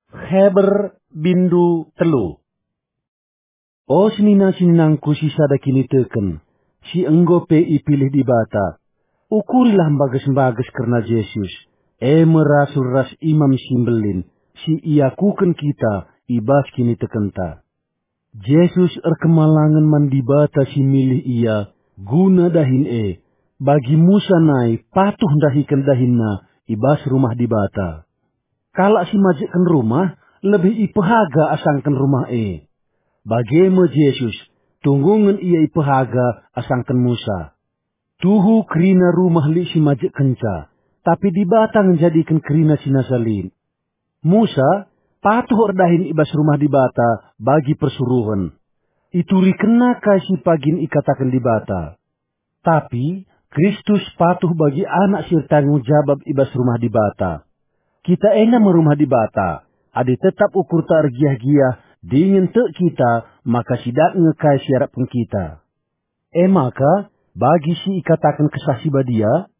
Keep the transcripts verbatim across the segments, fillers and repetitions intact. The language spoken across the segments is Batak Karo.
Heber bindu telu. O senina-seninangku si sada kiniteken, si enggo pe ipilih Dibata, ukurilah mbages-mbages kerna Jesus, e me rasul ras Imam si Mbelin, si iakuken kita i bas kinitekenta. Jesus erkemalangen man Dibata si milih ia guna dahin e, bagi Musa nai patuh ndahiken dahinna i bas rumah Dibata. Kalak si majekken rumah lebih ipehaga asangken rumah e. Bage me Jesus, tunggungen ia ipehaga asangken Musa. Tuhu kerina rumah lit si majekkenca, tapi Dibata ngenjadiken kerina si nasa lit. Musa patuh erdahin i bas rumah Dibata bagi persuruhen. Iturikenna kai si pagin ikataken Dibata. Tapi Kristus patuh bagi anak si ertanggung jabab i bas rumah Dibata. Kita enda me rumah Dibata, adi tetap ukurta ergiah-giah dingen tek kita, maka si dat nge kai si iarapken kita. E maka, bagi si ikataken Kesah Si Badia,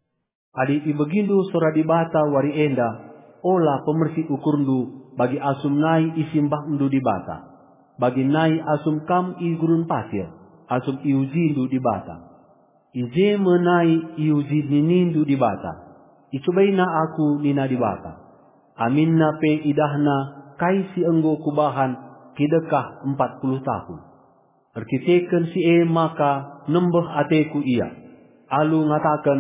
"Adi ibegindu sora Dibata wari enda, ola pemersi ukurndu bagi asum nai isimbahndu Dibata, bagi nai asum kam i gurun pasir, asum iujindu Dibata. I je me nai iuji ninindu Dibata. Icobaina Aku," nina Dibata. Aminna pe idahna kai si enggo Kubahan kidekah empat puluh tahun. Erkiteken si e maka nembeh ateKu ia, alu ngataken,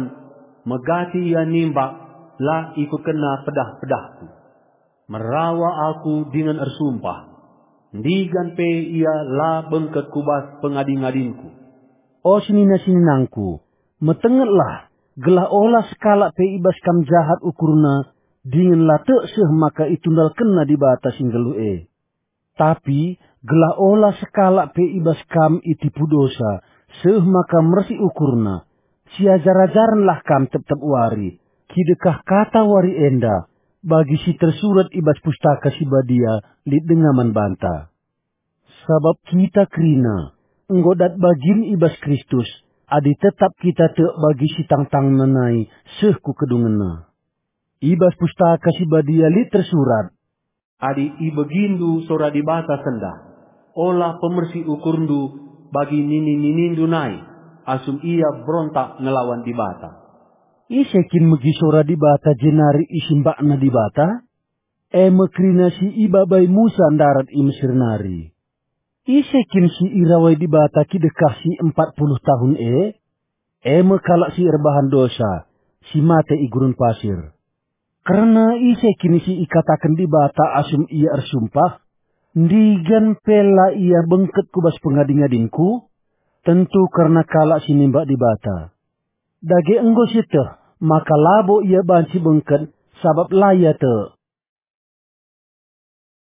"Megati ia nimbak, la ikutkenna pedah-pedahKu. Merawa Aku dingen ersumpah, ndigan pe ia la bengket ku bas pengadi-ngadinKu." O senina-seninangku, metengetlah, gelah ola sekalak pe i bas kam jahat ukurna, dingen la tek seh maka itundalkenna Dibata si nggeluh e. Tapi gelah ola sekalak pe i bas kam itipu dosa, seh maka mersi ukurna, siajar-ajarenlah kam tep-tep wari, kidekah kata wari enda, bagi si tersurat i bas Pustaka Si Badia lit denga man banta. Sabap kita kerina, enggo dat bagin i bas Kristus, adi tetap kita tek bagi si tangtangna nai seh ku kedungenna. I bas Pustaka Si Badia lit tersurat, "Adi ibegindu sora Dibata sendah, ola pemersi ukurndu bagi nini-ninindu nai, asum ia berontak ngelawan Dibata." Ise kin megi sora Dibata jenari isimbakna Dibata? E me kerina si ibabai Musa ndarat i Mesir nari. Ise kin si irawai Dibata kidekah si empat puluh tahun e? E me kalak si erbahan dosa, si mate i gurun pasir. Kerna ise kin si ikataken Dibata asum ia ersumpah, "Ndigan pe la ia bengket ku bas pengadi-ngadingKu"? Tentu kerna kalak si nimbak Dibata. Dage enggo sieteh maka labo ia banci bengket, sabap la ia tek.